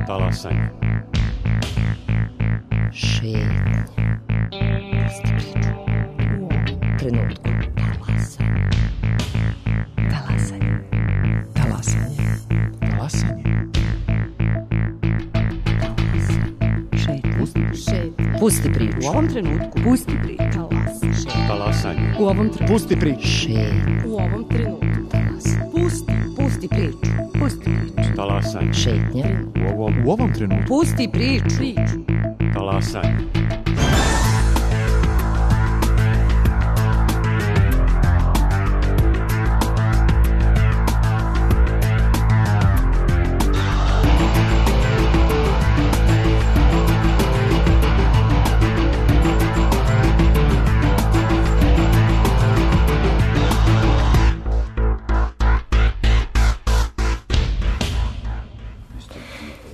Talasanje. Šetnja. Pusti priču. U ovom trenutku. Talasanje. Talasanje. Talasanje. Šetnja. Pusti priču. U ovom trenutku. Pusti priču. Talasanje. U ovom trenutku. Pusti priču. Šetnja. U ovom trenutku. Pusti priču. Pusti priču. Talasanje. Šetnja. U ovom trenutku. Pusti priču. Talasanje.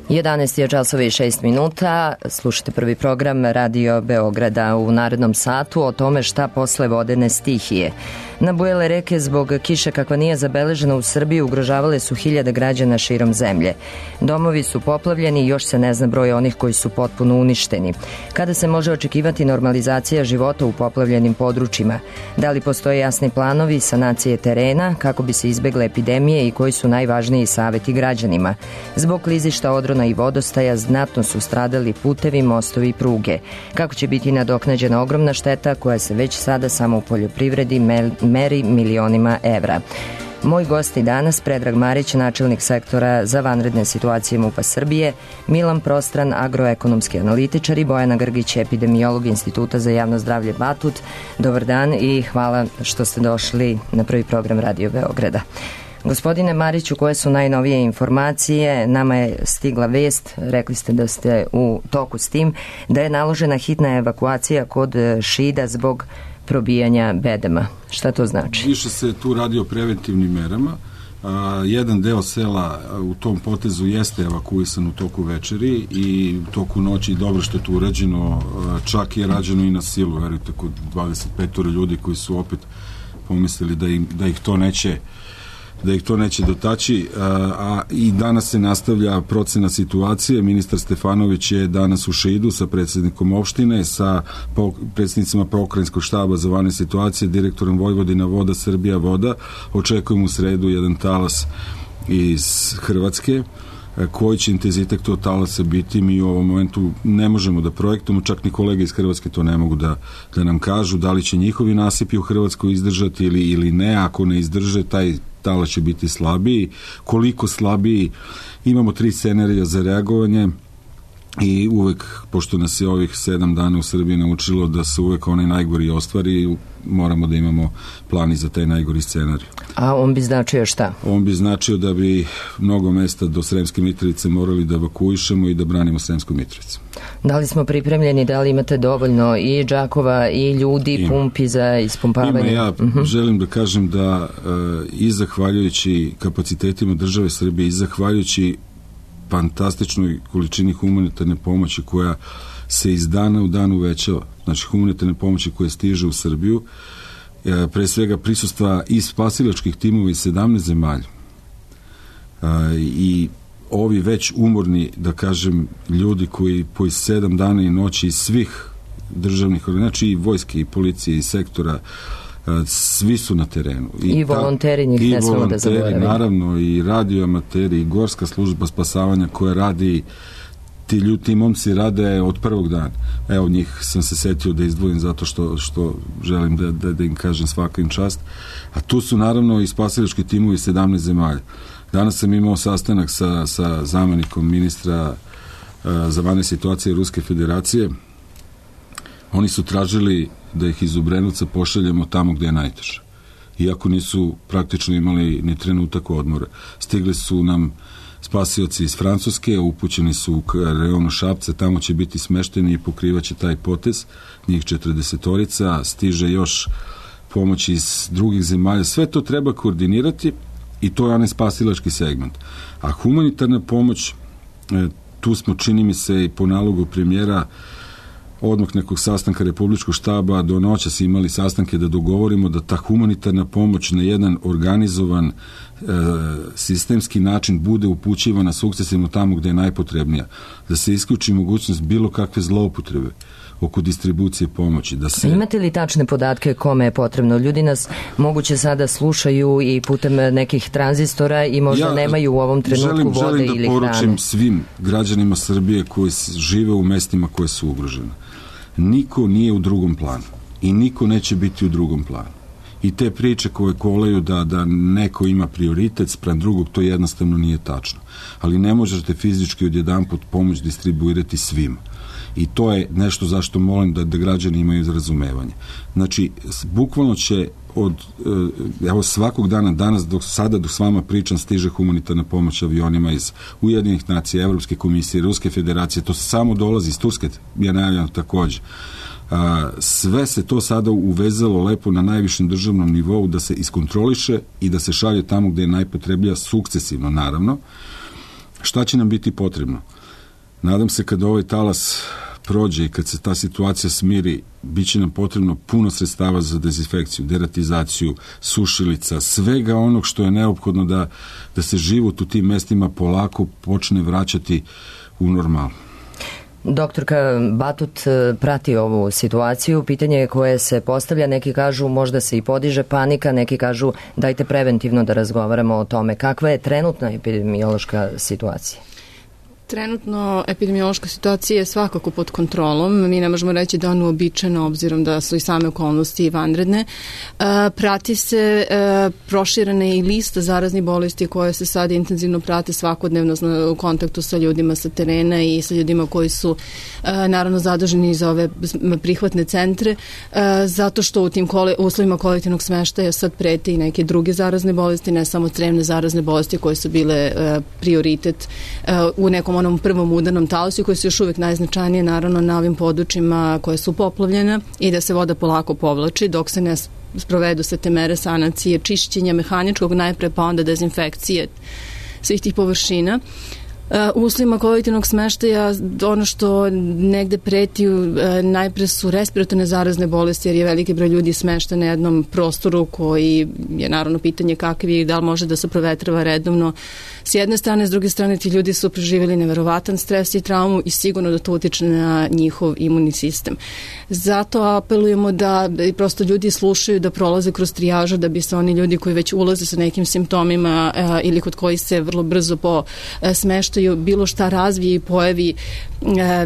Jedanaest je časova i 6 minuta. Slušate prvi program Radio Beograda. U narednom satu o tome šta posle vodene stihije. Nabujele reke zbog kiše kakva nije zabeležena u Srbiji ugrožavale su hiljade građana širom zemlje. Domovi su poplavljeni i još se ne zna broj onih koji su potpuno uništeni. Kada se može očekivati normalizacija života u poplavljenim područjima? Da li postoje jasni planovi sanacije terena kako bi se izbegle epidemije i koji su najvažniji saveti građanima? Zbog klizišta, odrona i vodostaja znatno su stradali putevi, mostovi i pruge. Kako će biti nadoknađena ogromna šteta koja se već sada samo u poljoprivredi meri milionima evra? Moj gost i danas Predrag Marić, načelnik sektora za vanredne situacije MUP-a Srbije, Milan Prostran, agroekonomski analitičar i Bojana Grgić, epidemiolog Instituta za javno zdravlje Batut. Dobar dan i hvala što ste došli na prvi program Radio Beograda. Gospodine Mariću, koje su najnovije informacije? Nama je stigla vest, rekli ste da ste u toku s tim, da je naložena hitna evakuacija kod Šida zbog probijanja bedema. Šta to znači? Više se tu radi o preventivnim merama. Jedan deo sela u tom potezu jeste evakuisan u toku večeri i u toku noći. Dobro što je to urađeno, čak je rađeno i na silu, verujte, kod 25 ljudi koji su opet pomislili da ih to neće dotaći, a i danas se nastavlja procena situacije. Ministar Stefanović je danas u Šidu sa predsjednikom opštine, sa predsjednicima pokrajinskog štaba za vanredne situacije, direktorom Vojvodina voda, Srbija voda. Očekujemo u sredu jedan talas iz Hrvatske. Koji će intenzitet tog talasa biti, mi u ovom momentu ne možemo da projektujemo, čak ni kolege iz Hrvatske to ne mogu da nam kažu, da li će njihovi nasipi u Hrvatskoj izdržati ili ne. Ako ne izdrže, taj talas će biti slabiji. Koliko slabiji? Imamo 3 scenarija za reagovanje i uvek, pošto nas je ovih 7 dana u Srbiji naučilo da se uvek onaj najgori ostvari, moramo da imamo plan i za taj najgori scenarij. A on bi značio šta? On bi značio da bi mnogo mesta do Sremske Mitrovice morali da evakuišemo i da branimo Sremsku Mitrovicu. Da li smo pripremljeni, da li imate dovoljno i džakova i ljudi, pumpi za ispumpavanje? Ja želim da kažem da i zahvaljujući kapacitetima države Srbije i zahvaljujući fantastičnoj količini humanitarne pomoći koja se iz dana u dan uvećava, znači humanitarne pomoći koje stiže u Srbiju, pre svega prisustva i spasilačkih timova iz 17 zemalja i ovi već umorni, da kažem, ljudi koji po 7 dana i noći iz svih državnih, znači i vojske i policije i sektora, svi su na terenu. I volonteri, njih ne smemo da zaboravimo. Naravno, i radioamateri, i gorska služba spasavanja koja radi, ti momci rade od prvog dana. Evo, njih sam se setio da izdvojim zato što želim da im kažem svaka im čast. A tu su naravno i spasilački timovi 17 zemalja. Danas sam imao sastanak sa zamenikom ministra za vanredne situacije Ruske federacije. Oni su tražili da ih iz Obrenovca pošaljemo tamo gde je najteže. Iako nisu praktično imali ni trenutak odmora. Stigli su nam spasioci iz Francuske, upućeni su u reonu Šapca, tamo će biti smešteni i pokrivaće taj potez, njih 40-orica, stiže još pomoć iz drugih zemalja. Sve to treba koordinirati i to je onaj spasilački segment. A humanitarna pomoć, tu smo, čini mi se, i po nalogu premijera odmah nekog sastanka Republičkog štaba, do noćas imali sastanke da dogovorimo da ta humanitarna pomoć na jedan organizovan sistemski način bude upućivana sukcesivno tamo gde je najpotrebnija, da se isključi mogućnost bilo kakve zloupotrebe oko distribucije pomoći. Imate li tačne podatke kome je potrebno? Ljudi nas moguće sada slušaju i putem nekih tranzistora i možda nemaju u ovom trenutku vode ili hrane. Želim da poručim svim građanima Srbije koji žive u mestima koje su ugrožene. Niko nije u drugom planu i niko neće biti u drugom planu. I te priče koje kolaju da neko ima prioritet spram drugog, to jednostavno nije tačno. Ali ne možete fizički odjedanput pomoć distribuirati svima. I to je nešto zašto molim da građani imaju razumevanje. Znači, bukvalno će evo svakog dana, danas dok s vama pričam, stiže humanitarna pomoć avionima iz Ujedinjenih nacija, Evropske komisije, Ruske federacije, to samo dolazi iz Turske, je najavljeno takođe. Sve se to sada uvezalo lepo na najvišem državnom nivou da se iskontroliše i da se šalje tamo gde je najpotrebnija, sukcesivno naravno. Šta će nam biti potrebno? Nadam se kada ovaj talas prođe i kad se ta situacija smiri, bit će nam potrebno puno sredstava za dezinfekciju, deratizaciju, sušilica, svega onog što je neophodno da se život u tim mestima polako počne vraćati u normalu. Doktorka Batut prati ovu situaciju. Pitanje koje se postavlja, neki kažu možda se i podiže panika, neki kažu dajte preventivno da razgovaramo o tome. Kakva je trenutna epidemiološka situacija? Trenutno epidemiološka situacija je svakako pod kontrolom. Mi ne možemo reći da ono uobičajeno, obzirom da su i same okolnosti vanredne. Prati se proširena i lista zaraznih bolesti koje se sad intenzivno prate svakodnevno u kontaktu sa ljudima sa terena i sa ljudima koji su naravno zaduženi za ove prihvatne centre, zato što u tim uslovima kolektivnog smeštaja sad prete i neke druge zarazne bolesti, ne samo crevne zarazne bolesti koje su bile prioritet u nekom onom prvom udarnom talasu koji su još uvijek najznačajnije naravno na ovim područjima koje su poplavljene i da se voda polako povlači dok se ne sprovedu sve te mere sanacije, čišćenja mehaničkog najpre pa onda dezinfekcije svih tih površina. U uslovima kolektivnog smeštaja ono što negde preti najpre su respiratorne zarazne bolesti jer je veliki broj ljudi smešten na jednom prostoru koji je naravno pitanje kakav je i da li može da se provetrava redovno. S jedne strane, s druge strane ti ljudi su preživjeli neverovatan stres i traumu i sigurno da to utiče na njihov imunni sistem. Zato apelujemo da prosto ljudi slušaju da prolaze kroz trijažu da bi se oni ljudi koji već ulaze sa nekim simptomima ili kod koji se vrlo brzo po smeštaju bilo šta razvije i pojavi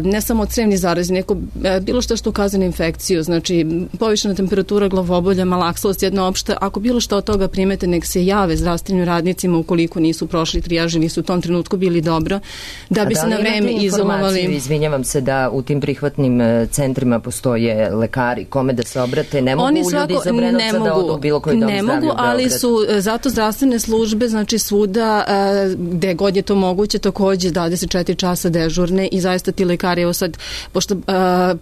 ne samo crevni zarazi, neko bilo šta što ukazuje na infekciju, znači povišena temperatura, glavobolja, malaksalost, jedna opšta, ako bilo šta od toga primete, nek se jave zdravstvenim radnicima ukoliko nisu prošli trijaže, nisu u tom trenutku bili dobro, da bi se na vreme izolovali. Izvinjavam se da u tim prihvatnim centrima postoje lekari, kome da se obrate, ne mogu ljudi iz Obrenovca da odu u bilo koji dom zdravlja u Beogradu. Ne mogu, ali su zato zdravstvene službe, znači svuda gde god je to moguće, takođe 24 časa dežurne i zaista ti lekari, evo sad, pošto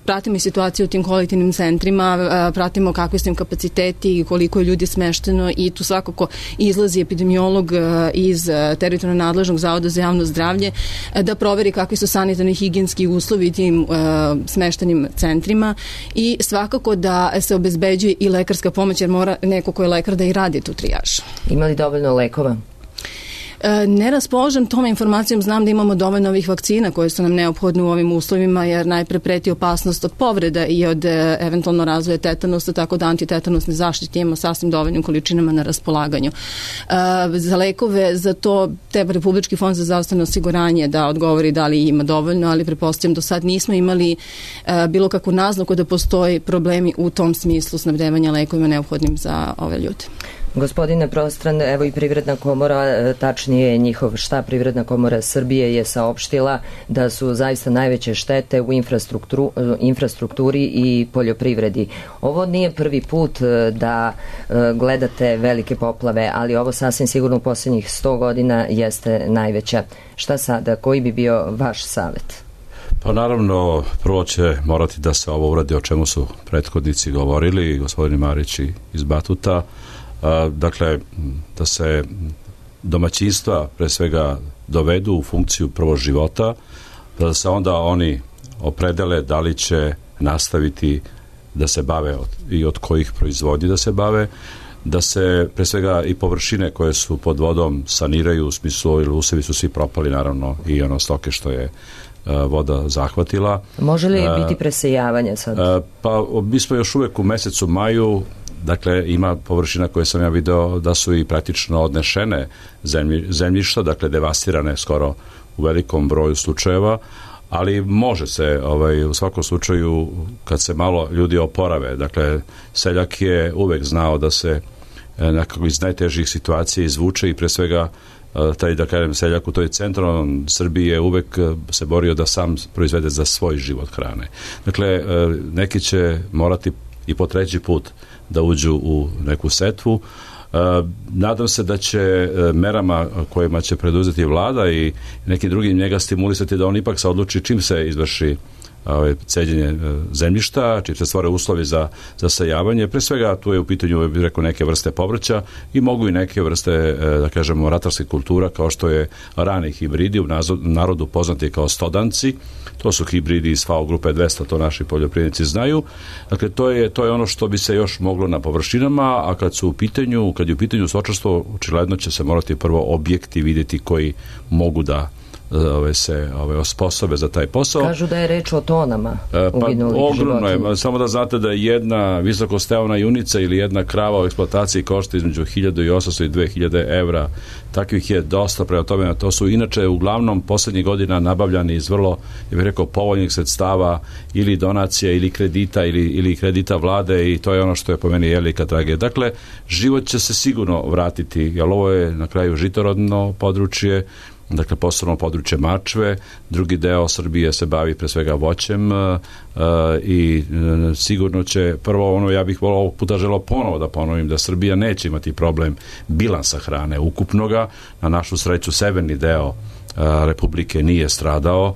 pratimo i situaciju u tim kolektivnim centrima, pratimo kakvi su im kapaciteti i koliko je ljudi smešteno i tu svakako izlazi epidemiolog iz teritorijalno nadležnog zavoda za javno zdravlje da proveri kakvi su sanitarni higijenski uslovi tim smeštenim centrima i svakako da se obezbeđuje i lekarska pomoć jer mora neko ko je lekar da i radi tu trijažu. Ima li dovoljno lekova? Ne raspoložem tom informacijom, znam da imamo dovoljno ovih vakcina koje su nam neophodne u ovim uslovima jer najpre preti opasnost od povreda i od eventualno razvoja tetanusa, tako da antitetanusne zaštite imamo sasvim dovoljnim količinama na raspolaganju. Za lekove, za to treba Republički fond za zdravstveno osiguranje da odgovori da li ima dovoljno, ali pretpostavljam do sad nismo imali bilo kakvu naznaku da postoji problemi u tom smislu snabdevanja lekovima neophodnim za ove ljude. Gospodine Prostran, evo i Privredna komora, tačnije njihov štab Privredna komora Srbije je saopštila da su zaista najveće štete u infrastrukturi i poljoprivredi. Ovo nije prvi put da gledate velike poplave, ali ovo sasvim sigurno u posljednjih 100 godina jeste najveća. Šta sada? Koji bi bio vaš savjet? Pa naravno, prvo će morati da se ovo uradi o čemu su prethodnici govorili, gospodin Marić iz Batuta, dakle, da se domaćinstva pre svega dovedu u funkciju prvo života, da se onda oni opredele da li će nastaviti da se bave i od kojih proizvodnji da se bave, da se pre svega i površine koje su pod vodom saniraju, u smislu ili usevi su svi propali, naravno i ono stoke što je voda zahvatila. Može li biti presejavanje sad? Pa mi smo još uvek u mesecu maju, dakle ima površina koje sam ja video da su i praktično odnešene zemljišta, dakle devastirane skoro u velikom broju slučajeva, ali može se u svakom slučaju kad se malo ljudi oporave, dakle seljak je uvek znao da se nekako iz najtežih situacija izvuče i pre svega taj, da kažem, seljak u toj centralnom Srbiji je uvek se borio da sam proizvede za svoj život hrane. Dakle, neki će morati i po treći put da uđu u neku setvu. Nadam se da će merama kojima će preduzeti vlada i nekim drugim njega stimulisati da on ipak se odluči čim se izvrši ceđenje zemljišta, čim se stvore uslovi za zasejavanje. Pre svega tu je u pitanju, bih rekao, neke vrste povrća i mogu i neke vrste, da kažemo, ratarskih kultura, kao što je rani hibridi, u narodu poznati kao stodanci. To su hibridi iz FAO grupe 200, to naši poljoprivrednici znaju. Dakle, to je ono što bi se još moglo na površinama, a kad je u pitanju stočarstvo, očigledno će se morati prvo objekti vidjeti koji mogu da se osposobe za taj posao. Kažu da je reč o tonama uginulih ogromno životinja. je, samo da znate da jedna visokostevna junica ili jedna krava u eksploataciji košta između 1800 i 2000 evra. Takvih je dosta, prema tome, to su inače uglavnom poslednjih godina nabavljani iz vrlo, ja bih rekao, povoljnih sredstava ili donacija ili kredita ili kredita vlade, i to je ono što je po meni velika tragedija. Dakle, život će se sigurno vratiti, jer ovo je na kraju žitorodno područje, dakle posebno područje Mačve, drugi deo Srbije se bavi pre svega voćem i sigurno će, prvo ja bih ovog puta želeo ponovo da ponovim da Srbija neće imati problem bilansa hrane ukupnoga. Na našu sreću severni deo Republike nije stradao,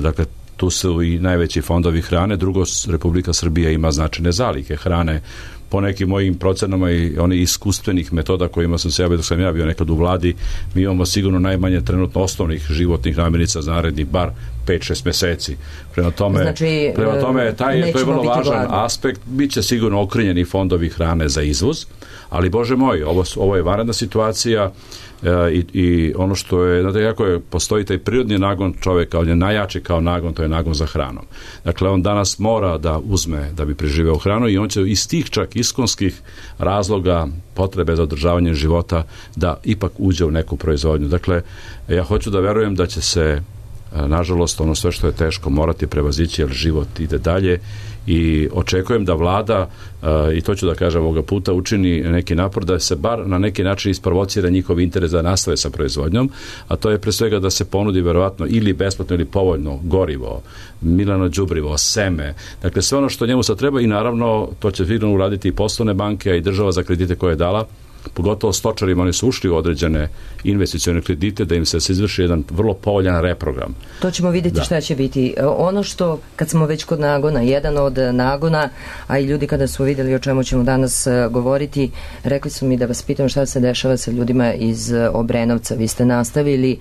dakle tu su i najveći fondovi hrane. Drugo, Republika Srbija ima značajne zalihe hrane. Po nekim mojim procenama i onih iskustvenih metoda kojima sam se javio dok sam ja bio nekad u vladi, mi imamo sigurno najmanje trenutno osnovnih životnih namirnica za narednih bar 5-6 meseci. Prema tome, to je vrlo važan aspekt. Biće sigurno okrenjeni fondovi hrane za izvoz, ali Bože moj, ovo je vanredna situacija i ono što je, znate kako je, postoji taj prirodni nagon čoveka, on je najjači kao nagon, to je nagon za hranom. Dakle, on danas mora da uzme da bi preživeo hranu i on će iz tih čak iskonskih razloga, potrebe za održavanje života, da ipak uđe u neku proizvodnju. Dakle, ja hoću da verujem da će se, nažalost, ono sve što je teško morati prevazići, jer život ide dalje, i očekujem da vlada, i to ću da kažem ovoga puta, učini neki napor da se bar na neki način isprovocira njihov interes da nastave sa proizvodnjom, a to je pre svega da se ponudi verovatno ili besplatno ili povoljno gorivo, milano đubrivo, seme, dakle sve ono što njemu sad treba, i naravno to će sigurno uraditi i poslovne banke, a i država za kredite koje je dala, pogotovo stočarima, oni su ušli u određene investicione kredite, da im se izvrši jedan vrlo povoljan reprogram. To ćemo vidjeti šta će biti. Ono što, kad smo već kod nagona, jedan od nagona, a i ljudi kada su vidjeli o čemu ćemo danas govoriti, rekli su mi da vas pitam šta se dešava sa ljudima iz Obrenovca. Vi ste nastavili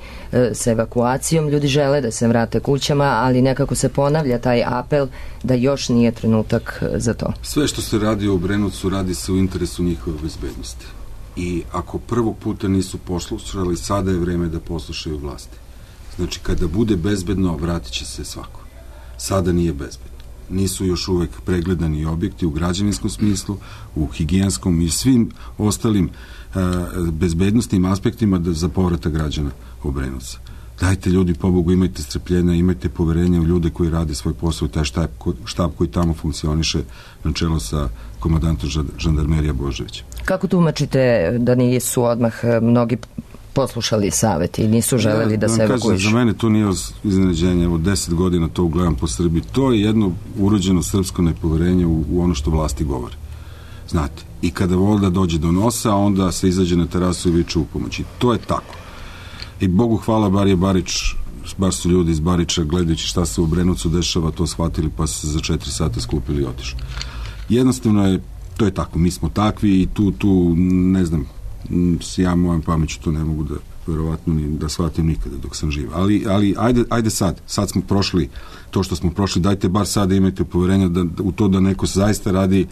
sa evakuacijom, ljudi žele da se vrate kućama, ali nekako se ponavlja taj apel da još nije trenutak za to. Sve što se radi u Obrenovcu radi se u interesu njihove bezbednosti. I ako prvog puta nisu poslušali, sada je vreme da poslušaju vlasti. Znači, kada bude bezbedno, vratit će se svako. Sada nije bezbedno. Nisu još uvek pregledani objekti u građevinskom smislu, u higijenskom i svim ostalim bezbednostnim aspektima za povratak građana Obrenovca. Dajte ljudi, pobogu, imajte strpljenja, imajte poverenja u ljude koji rade svoj posao, taj štab koji tamo funkcioniše na čelo sa komandantom žandarmerija Boževića. Kako tumačite da nisu odmah mnogi poslušali savjet i nisu želeli da se evakuišu? Za mene to nije iznenađenje, od 10 godina to gledam po Srbiji. To je jedno urođeno srpsko nepoverenje u ono što vlasti govore. Znate, i kada voda dođe do nosa, onda se izađe na terasu i viče u pomoći. To je tako. I Bogu hvala, bar su ljudi iz Bariča, gledajući šta se u Obrenovcu dešava, to shvatili, pa su se za 4 sata skupili i otišli. Jednostavno je, to je tako, mi smo takvi i tu, ne znam, ja mojom pameću to ne mogu verovatno ni da shvatim nikada dok sam živ. Ali ajde sad smo prošli to što smo prošli, dajte bar sada imajte poverenja u to da neko zaista radi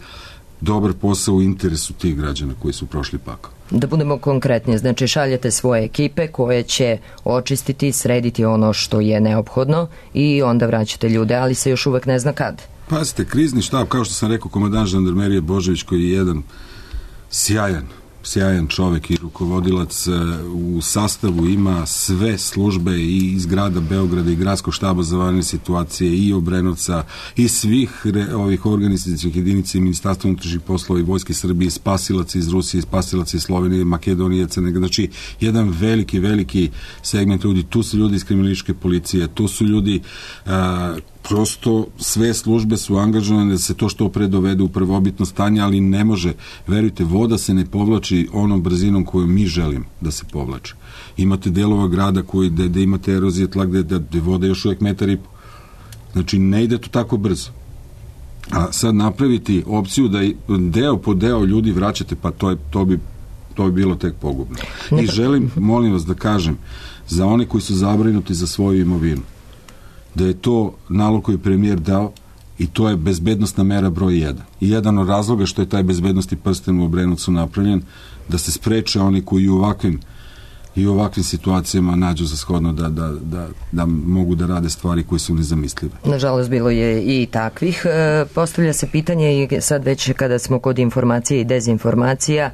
dobar posao u interesu tih građana koji su prošli pakao. Da budemo konkretni, znači šaljete svoje ekipe koje će očistiti, srediti ono što je neophodno i onda vraćate ljude, ali se još uvek ne zna kad. Pazite, krizni štab, kao što sam rekao, komandant žandarmerije Božović, koji je jedan sjajan čovek i rukovodilac, u sastavu ima sve službe i iz grada Beograda i gradskog štaba za vanredne situacije i Obrenovca i svih ovih organizacijskih jedinica i Ministarstva unutrašnjih poslova i Vojske Srbije, spasilaca iz Rusije, spasilaca iz Slovenije, Makedonije, Crne Gore. Znači, jedan veliki segment ljudi. Tu su ljudi iz kriminalističke policije, tu su ljudi prosto sve službe su angažovane da se to što pre dovede u prvobitno stanje, ali ne može, verujte, voda se ne povlači onom brzinom koju mi želimo da se povlači. Imate delova grada gde imate erozije tla, gde voda još uvek 1,5 metra. Znači, ne ide to tako brzo. A sad napraviti opciju da deo po deo ljudi vraćate, pa to bi bilo tek pogubno. I želim, molim vas da kažem, za one koji su zabrinuti za svoju imovinu, da je to nalog koji je premijer dao i to je bezbednostna mera broj 1. I jedan od razloga što je taj bezbednosti prsten u Obrenovcu napravljen, da se spreče oni koji u ovakvim situacijama nađu za shodno da mogu da rade stvari koje su nezamislive. Nažalost, bilo je i takvih. Postavlja se pitanje i sad već kada smo kod informacije i dezinformacija,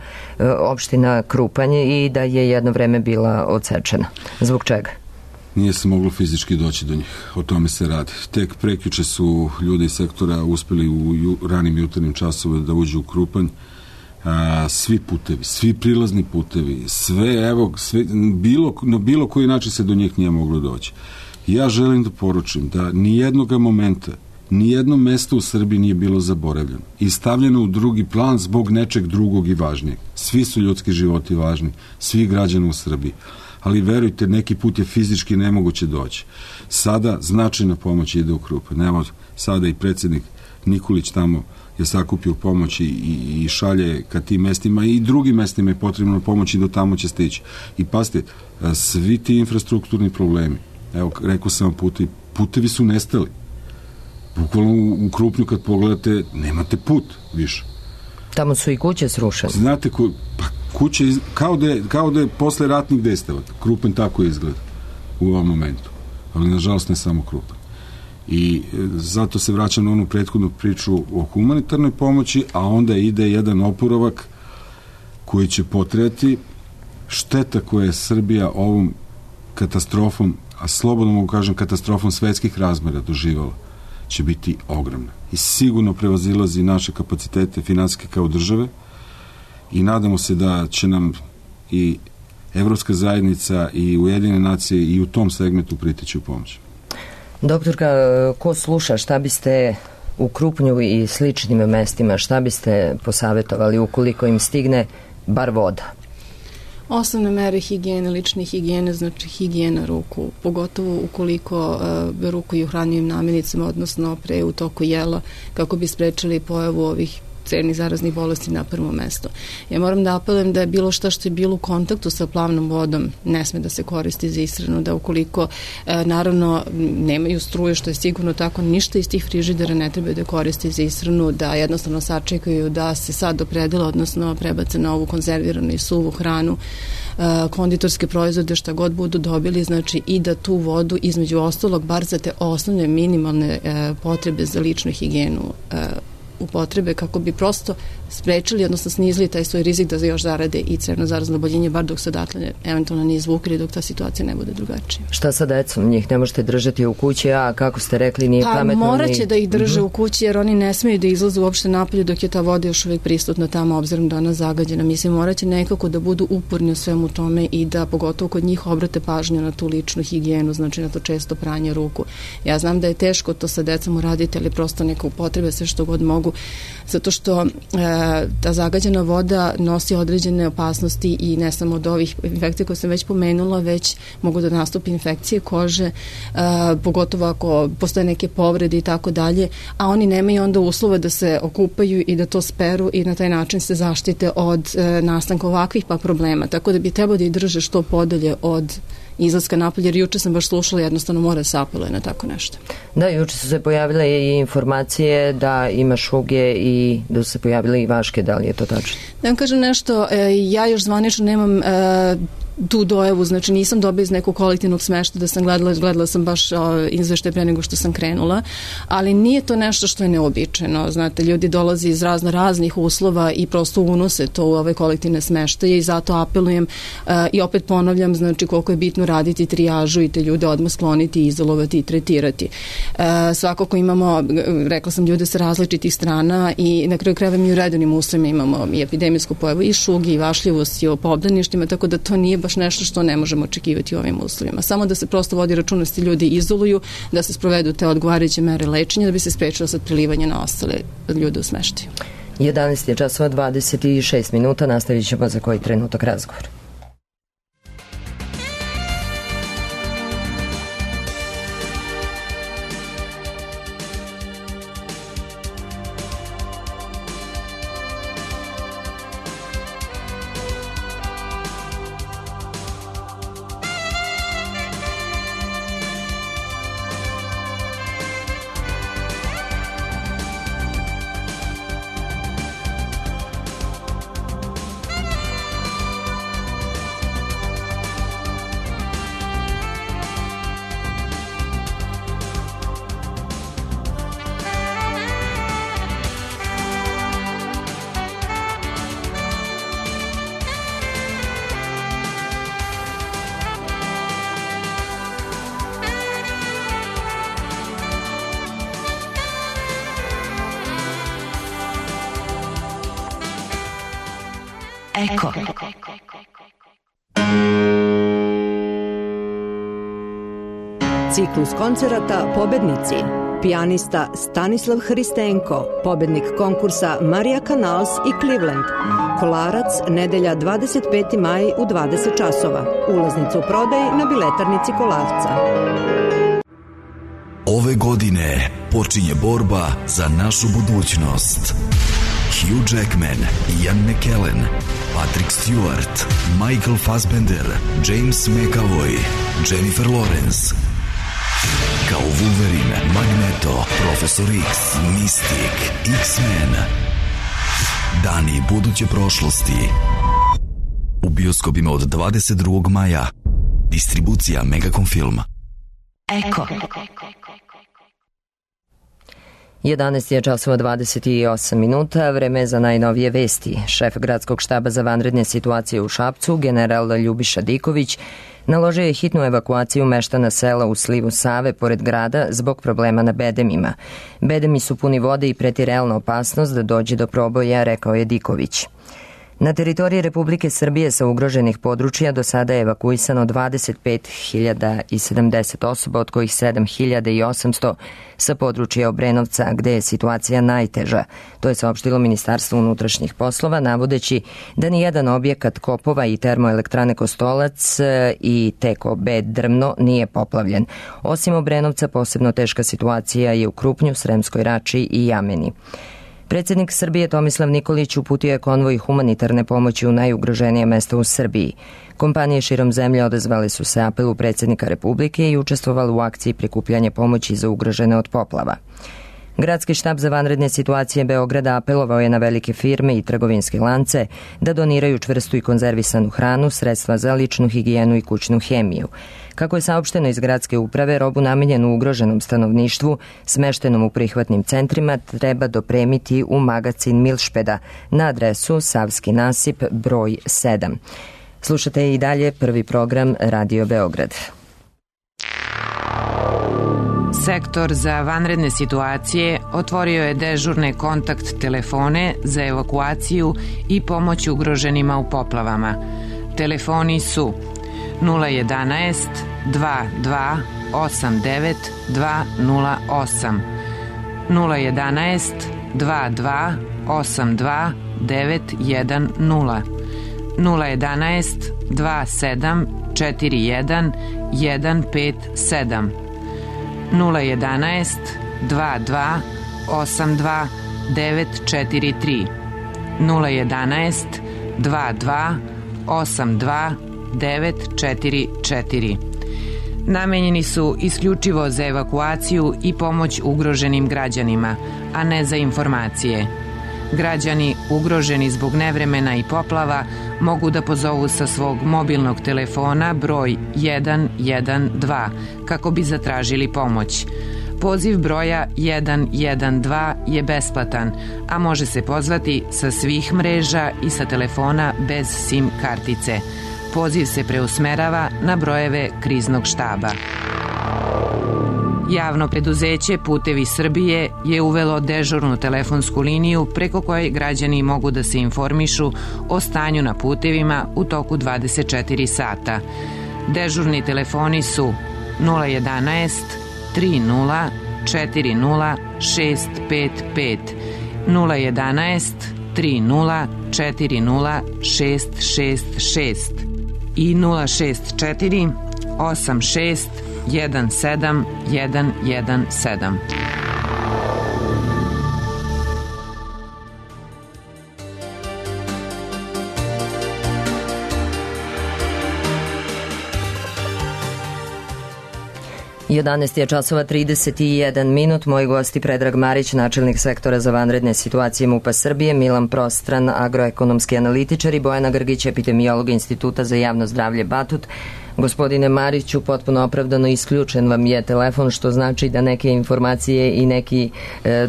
opština Krupanj i da je jedno vreme bila odsečena. Zbog čega? Nije se moglo fizički doći do njih. O tome se radi. Tek prekjuče su ljudi iz sektora uspeli u ranim jutarnjim časovima da uđu u Krupanj. Svi putevi, svi prilazni putevi, na bilo koji način se do njih nije moglo doći. Ja želim da poručim da nijednog momenta, nijedno mesto u Srbiji nije bilo zaboravljeno i stavljeno u drugi plan zbog nečeg drugog i važnijeg. Svi su ljudski životi važni, svi građani u Srbiji. Ali verujte, neki put je fizički nemoguće doći. Sada značajna pomoć ide u Krupanj. Evo, sada i predsjednik Nikolić tamo je sakupio pomoć i šalje ka tim mestima i drugim mestima je potrebno pomoći i do tamo će stići. I pazite, svi ti infrastrukturni problemi, evo, rekao sam vam, putevi su nestali. Bukvalno u Krupnju kad pogledate, nemate put više. Tamo su i kuće srušene. Znate, kuće, kao da je posle ratnih dejstava. Krupanj tako izgleda u ovom momentu. Ali, nažalost, ne samo Krupanj. I zato se vraćam na onu prethodnu priču o humanitarnoj pomoći, a onda ide jedan oporavak koji će potrebati. Šteta koja je Srbija ovom katastrofom, a slobodno mogu kažem katastrofom svetskih razmera doživala, će biti ogromna. I sigurno prevazilazi naše kapacitete finansijske kao države i nadamo se da će nam i Evropska zajednica i Ujedinjene nacije i u tom segmentu priteći u pomoć. Doktorka, ko sluša, šta biste u Krupnju i sličnim mestima, šta biste posavetovali ukoliko im stigne bar voda? Osnovne mere higijene, lične higijene, znači higijena ruku, pogotovo ukoliko rukuju hranjivim namirnicama, odnosno pre u toku jela, kako bi sprečili pojavu ovih crevnih zaraznih bolesti na prvo mesto. Ja moram da apelujem da je bilo šta što je bilo u kontaktu sa plavnom vodom ne sme da se koristi za ishranu, da ukoliko naravno nemaju struje, što je sigurno tako, ništa iz tih frižidera ne treba da koristi za ishranu, da jednostavno sačekaju da se sad opredela, odnosno prebace na ovu konzerviranu i suvu hranu, konditorske proizvode, šta god budu dobili, znači i da tu vodu između ostalog bar za te osnovne minimalne potrebe za ličnu higijenu upotrebe, kako bi prosto sprečili, odnosno snizili taj svoj rizik da još zarade i crevno zarazno oboljenje, bar dok se odatle eventualno nije izvukli, dok ta situacija ne bude drugačija. Šta sa decom? Njih ne možete držati u kući, a kako ste rekli, nije pametno. Morat će da ih drže u kući, jer oni ne smeju da izlazu uopšte napolje dok je ta voda još uvijek prisutna tamo, obzirom da ona zagađena. Mislim, morat će nekako da budu uporni u svemu tome i da pogotovo kod njih obrate pažnju na tu ličnu higijenu, znači na to često pranje ruku. Ja znam da je teško to sa decom uraditi, ali prosto neka upotrebe sve što god mogu, zato što ta zagađena voda nosi određene opasnosti i ne samo od ovih infekcija koje sam već pomenula, već mogu da nastupi infekcije kože, pogotovo ako postoje neke povrede i tako dalje, a oni nemaju onda uslova da se okupaju i da to speru i na taj način se zaštite od nastanka ovakvih pa problema. Tako da bi trebalo da i drže što podalje od izlaska napolje, jer juče sam baš slušala, jednostavno mora se apeluje na tako nešto. Da, juče su se pojavile i informacije da ima šuge i da su se pojavile i vaške, da li je to tačno? Da vam kažem nešto, ja još zvanično nemam tu dojavu, znači nisam dobila iz nekog kolektivnog smešta da sam gledala sam baš izveštaj pre nego što sam krenula, ali nije to nešto što je neobičajno. Znate, ljudi dolaze iz raznih uslova i prosto unose to u ove kolektivne smeštaje i zato apelujem i opet ponavljam, znači koliko je bitno raditi trijažu i te ljude odmah skloniti, izolovati i tretirati. Svakako imamo, rekla sam, ljude sa različitih strana i na kraju krajeva mi u redovnim uslovima imamo i epidemijsku pojavu i šugi i vašljivost i o obdaništima, tako da to nije baš nešto što ne možemo očekivati u ovim uslovima. Samo da se prosto vodi računa da se ljudi izoluju, da se sprovedu te odgovarajuće mere lečenja da bi se sprečilo sad prilivanje na ostale ljude u smeštaju. 11 je časova 26 minuta, nastavit ćemo za koji trenutak razgovor. Eko. Ciklus koncerata Pobednici. Pijanista Stanislav Hristenko, pobednik konkursa Marija Canals i Cleveland. Kolarac, nedelja 25. maj u 20 časova. Ulaznicu u prodaj na biletarnici Kolarca. Ove godine počinje borba za našu budućnost. Hugh Jackman, Ian McKellen, Patrick Stewart, Michael Fassbender, James McAvoy, Jennifer Lawrence. Kao Wolverine, Magneto, Profesor X, Mystic, X-Men. Dani buduće prošlosti. U bioskopima od 22. maja. Distribucija Megacom Film. Eko. 11 je časova 28 minuta, vreme za najnovije vesti. Šef gradskog štaba za vanredne situacije u Šapcu, general Ljubiša Diković, naložio je hitnu evakuaciju meštana sela u slivu Save pored grada zbog problema na bedemima. Bedemi su puni vode i preti realna opasnost da dođe do proboja, rekao je Diković. Na teritoriji Republike Srbije sa ugroženih područja do sada je evakuisano 25.070 osoba, od kojih 7.800 sa područja Obrenovca, gde je situacija najteža. To je saopštilo Ministarstvo unutrašnjih poslova, navodeći da nijedan objekat kopova i termoelektrane Kostolac i TKB Drvno nije poplavljen. Osim Obrenovca, posebno teška situacija je u Krupnju, Sremskoj Rači i Jameni. Predsjednik Srbije Tomislav Nikolić uputio je konvoj humanitarne pomoći u najugroženije mesta u Srbiji. Kompanije širom zemlje odazvale su se apelu predsjednika Republike i učestvovali u akciji prikupljanja pomoći za ugrožene od poplava. Gradski štab za vanredne situacije Beograda apelovao je na velike firme i trgovinske lance da doniraju čvrstu i konzervisanu hranu, sredstva za ličnu higijenu i kućnu hemiju. Kako je saopšteno iz gradske uprave, robu namenjenu ugroženom stanovništvu, smeštenom u prihvatnim centrima, treba dopremiti u magacin Milšpeda na adresu Savski nasip broj 7. Slušate i dalje prvi program Radio Beograd. Sektor za vanredne situacije otvorio je dežurne kontakt telefone za evakuaciju i pomoć ugroženima u poplavama. Telefoni su 011 22 89 208, 011 22 82 910, 011 27 41 157, 011 22 82 943, 011 22 82 944. Namenjeni su isključivo za evakuaciju i pomoć ugroženim građanima, a ne za informacije. Građani ugroženi zbog nevremena i poplava mogu da pozovu sa svog mobilnog telefona broj 112 kako bi zatražili pomoć. Poziv broja 112 je besplatan, a može se pozvati sa svih mreža i sa telefona bez SIM kartice. Poziv se preusmerava na brojeve kriznog štaba. Javno preduzeće Putevi Srbije je uvelo dežurnu telefonsku liniju preko koje građani mogu da se informišu o stanju na putevima u toku 24 sata. Dežurni telefoni su 011 30 40 655, 011 30 40 666 i 064 86 17 117. Jedanaest je časova 31 minut. Moji gosti Predrag Marić, načelnik sektora za vanredne situacije MUP-a Srbije, Milan Prostran, agroekonomski analitičar i Bojana Grgić, epidemiolog Instituta za javno zdravlje Batut. Gospodine Mariću, potpuno opravdano isključen vam je telefon, što znači da neke informacije i neki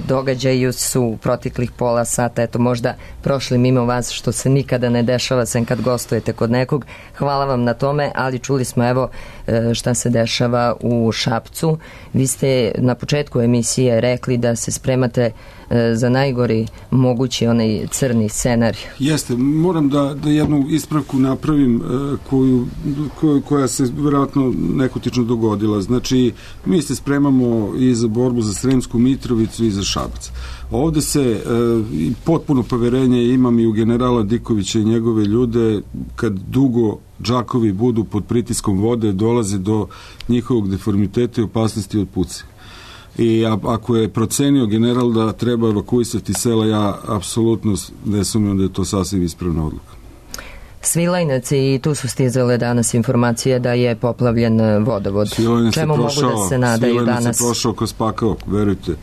događaji su u proteklih pola sata, eto možda prošli mimo vas, što se nikada ne dešava sem kad gostujete kod nekog. Hvala vam na tome, ali čuli smo evo šta se dešava u Šapcu. Vi ste na početku emisije rekli da se spremate za najgori mogući onaj crni scenarij. Jeste, moram da jednu ispravku napravim koja se vjerojatno nekotično dogodila. Znači, mi se spremamo i za borbu za Sremsku Mitrovicu i za Šabac. Ovde se potpuno poverenje imam i u generala Dikovića i njegove ljude, kad dugo džakovi budu pod pritiskom vode, dolaze do njihovog deformiteta i opasnosti od puce. I ako je procenio general da treba evakuisati sela, ja apsolutno ne sumnjam da je to sasvim ispravna odluka. Svilajnac, i tu su stizale danas informacije da je poplavljen vodovod. Čemu mogu da se nadaju danas? Svilajnac je prošao kroz pakao, verujte.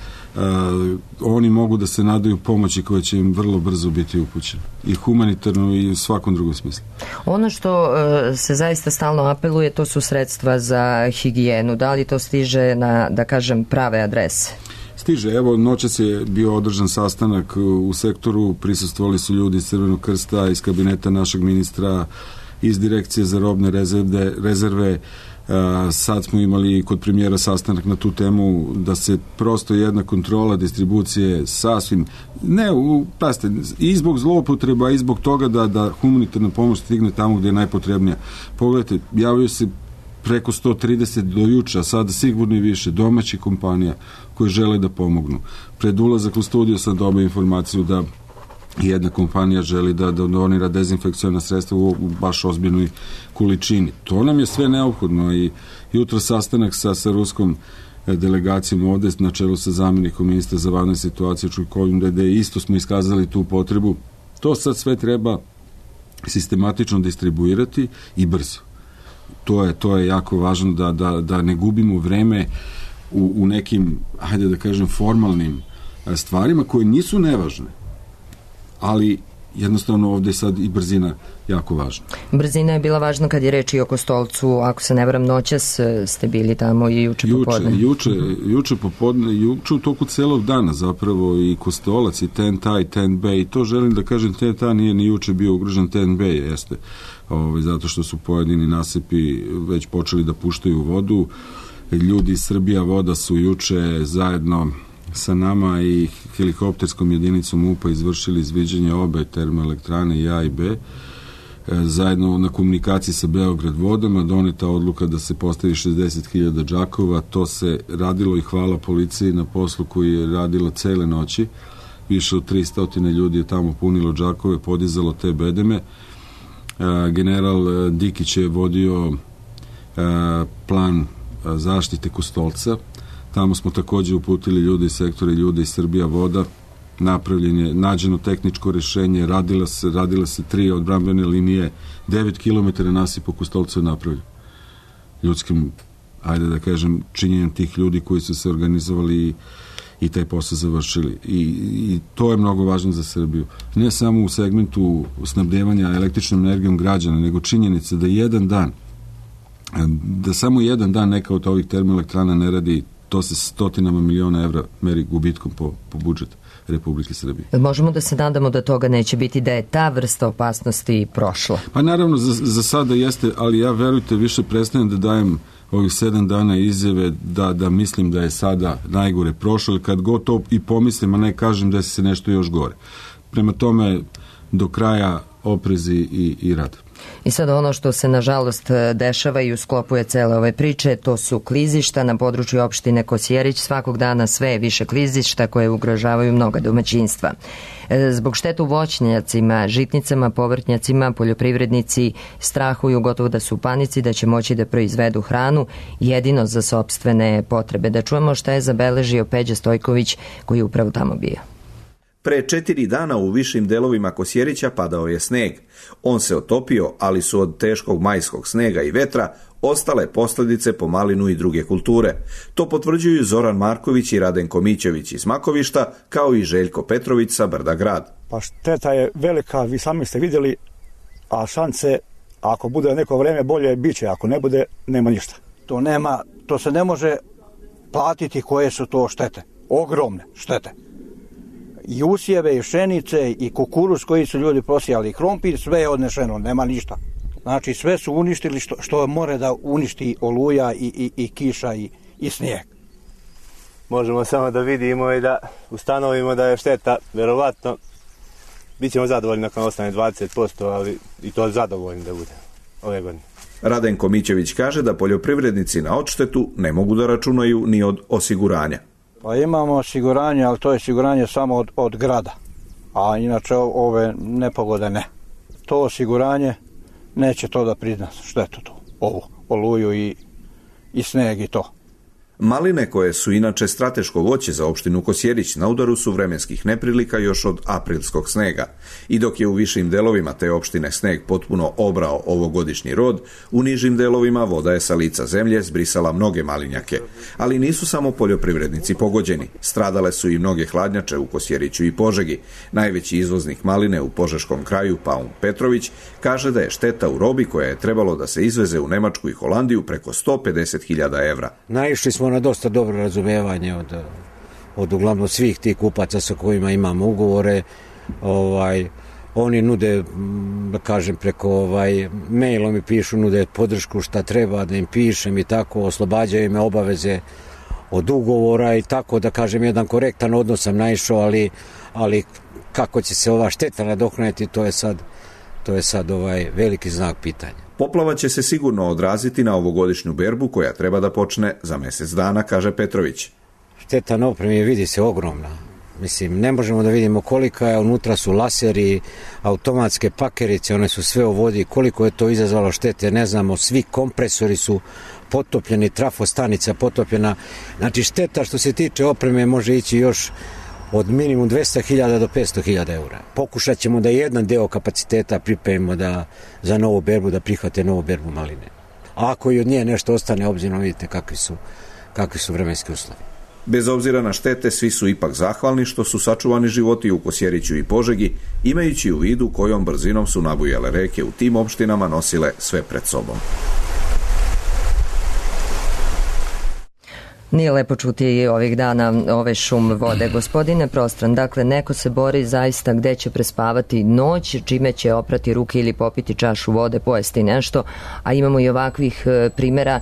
Oni mogu da se nadaju pomoći koja će im vrlo brzo biti upućena. I humanitarno i u svakom drugom smislu. Ono što se zaista stalno apeluje, to su sredstva za higijenu. Da li to stiže na, da kažem, prave adrese? Stiže, evo, noćas je bio održan sastanak u sektoru, prisustvovali su ljudi iz Crvenog krsta, iz kabineta našeg ministra, iz direkcije za robne rezerve. Sad smo imali kod premijera sastanak na tu temu, da se prosto jedna kontrola distribucije sasvim, pazite, i zbog zloupotreba i zbog toga da humanitarna pomoć stigne tamo gde je najpotrebnija. Pogledajte, javio se preko 130 do juče, a sada sigurno i više domaćih kompanija koje žele da pomognu. Pred ulazak u studio sam dobio informaciju da jedna kompanija želi da donira dezinfekciona sredstva u baš ozbiljnoj količini. To nam je sve neophodno i jutro sastanak sa ruskom delegacijom ovde na čelu sa zamjenikom ministra za vanredne situacije Čujkovim, gde isto smo iskazali tu potrebu. To sad sve treba sistematično distribuirati i brzo. To je jako važno da ne gubimo vreme u nekim, hajde da kažem, formalnim stvarima koje nisu nevažne, ali jednostavno ovde je sad i brzina jako važna. Brzina je bila važna kad je reč i o Kostolcu, ako se ne varam, noćas ste bili tamo i juče popodne. Juče popodne, juče u toku celog dana zapravo i Kostolac i Tenta i Tent Bay, i to želim da kažem, Tenta nije ni juče bio ugrožen, Tent Bay jeste, zato što su pojedini nasipi već počeli da puštaju vodu. Ljudi iz Srbija voda su juče zajedno sa nama i helikopterskom jedinicom MUP-a izvršili izviđanje obe termoelektrane i A i B. Zajedno na komunikaciji sa Beograd vodama doneta odluka da se postavi 60.000 džakova. To se radilo i hvala policiji na poslu koji je radila cele noći. više od 300 ljudi je tamo punilo džakove, podizalo te bedeme. General Dikić je vodio plan zaštite Kostolca. Tamo smo takođe uputili ljudi iz sektora, ljudi iz Srbija voda. Nađeno tehničko rešenje, radila se 3 odbrambene linije, 9 km nasipa Kostolca je napravljen. Ljudskim, ajde da kažem, činjenjem tih ljudi koji su se organizovali i taj posao završili. I to je mnogo važno za Srbiju. Ne samo u segmentu snabdevanja električnom energijom građana, nego činjenica da samo jedan dan neka od ovih termoelektrana ne radi, to se stotinama miliona evra meri gubitkom po budžetu Republike Srbije. Možemo da se nadamo da toga neće biti, da je ta vrsta opasnosti prošla? Pa naravno, za sada jeste, ali ja, verujte, više prestajem da dajem ovih 7 dana izjave da mislim da je sada najgore prošlo, ili kad god to i pomislim, a ne kažem da se nešto još gore. Prema tome, do kraja oprezi i rad. I sad ono što se nažalost dešava i u sklopu je cele ove priče, to su klizišta na području opštine Kosjerić. Svakog dana sve je više klizišta koje ugrožavaju mnoga domaćinstva. Zbog šteta u voćnjacima, žitnicama, povrtnjacima, poljoprivrednici strahuju, gotovo da su u panici da će moći da proizvedu hranu jedino za sopstvene potrebe. Da čujemo šta je zabeležio Peđa Stojković koji je upravo tamo bio. Pre 4 dana u višim delovima Kosjerića padao je sneg. On se otopio, ali su od teškog majskog snega i vetra ostale posljedice po malinu i druge kulture. To potvrđuju Zoran Marković i Radenko Mićević iz Makovišta, kao i Željko Petrović sa Brda Grad. Pa šteta je velika, vi sami ste vidjeli, a šanse, ako bude neko vreme bolje, bit će, ako ne bude, nema ništa. To se ne može platiti koje su to štete, ogromne štete. I usjeve, i pšenice, i kukuruz koji su ljudi prosijali, i krompir, sve je odnešeno, nema ništa. Znači sve su uništili što more da uništi oluja i kiša i snijeg. Možemo samo da vidimo i da ustanovimo da je šteta, verovatno, bit ćemo zadovoljni nakon ostane 20%, ali i to zadovoljni da bude ove godine. Radenko Mićević kaže da poljoprivrednici na odštetu ne mogu da računaju ni od osiguranja. Pa imamo osiguranje, ali to je osiguranje samo od grada, a inače ove nepogode ne. To osiguranje neće to da prizna štetu tu, ovu oluju i sneg i to. Maline, koje su inače strateško voće za opštinu Kosjerić, na udaru su vremenskih neprilika još od aprilskog snega. I dok je u višim delovima te opštine sneg potpuno obrao ovogodišnji rod, u nižim delovima voda je sa lica zemlje zbrisala mnoge malinjake. Ali nisu samo poljoprivrednici pogođeni. Stradale su i mnoge hladnjače u Kosjeriću i Požegi. Najveći izvoznik maline u požeškom kraju, Paun Petrović, kaže da je šteta u robi koja je trebalo da se izveze u Nemačku i Holandiju preko 150.000 evra. Naišli smo na dosta dobro razumevanje od uglavnom svih tih kupaca sa kojima imamo ugovore. Oni nude, da kažem, preko mailom mi pišu, nude podršku šta treba da im pišem i tako, oslobađaju me obaveze od ugovora i tako, da kažem, jedan korektan odnos sam naišao, ali kako će se ova šteta nadoknaditi, to je sad veliki znak pitanja. Poplava će se sigurno odraziti na ovogodišnju berbu koja treba da počne za mjesec dana, kaže Petrović. Šteta na opremi vidi se ogromna. Mislim, ne možemo da vidimo kolika je, unutra su laseri, automatske pakerice, one su sve u vodi, koliko je to izazvalo štete, ne znamo, svi kompresori su potopljeni, trafostanica potopljena. Znači šteta što se tiče opreme može ići još od minimum 200.000 do 500.000 eura. Pokušat ćemo da jedan deo kapaciteta pripremimo za novu berbu, da prihvate novu berbu maline. A ako i od nje nešto ostane, obzirom vidite kakvi su vremenski uslovi. Bez obzira na štete, svi su ipak zahvalni što su sačuvani životi u Kosjeriću i Požegi, imajući u vidu kojom brzinom su nabujale reke u tim opštinama nosile sve pred sobom. Nije lepo čuti ovih dana ove šum vode. Gospodine Prostran, dakle, neko se bori zaista gde će prespavati noć, čime će oprati ruke ili popiti čašu vode, pojesti nešto, a imamo i ovakvih primjera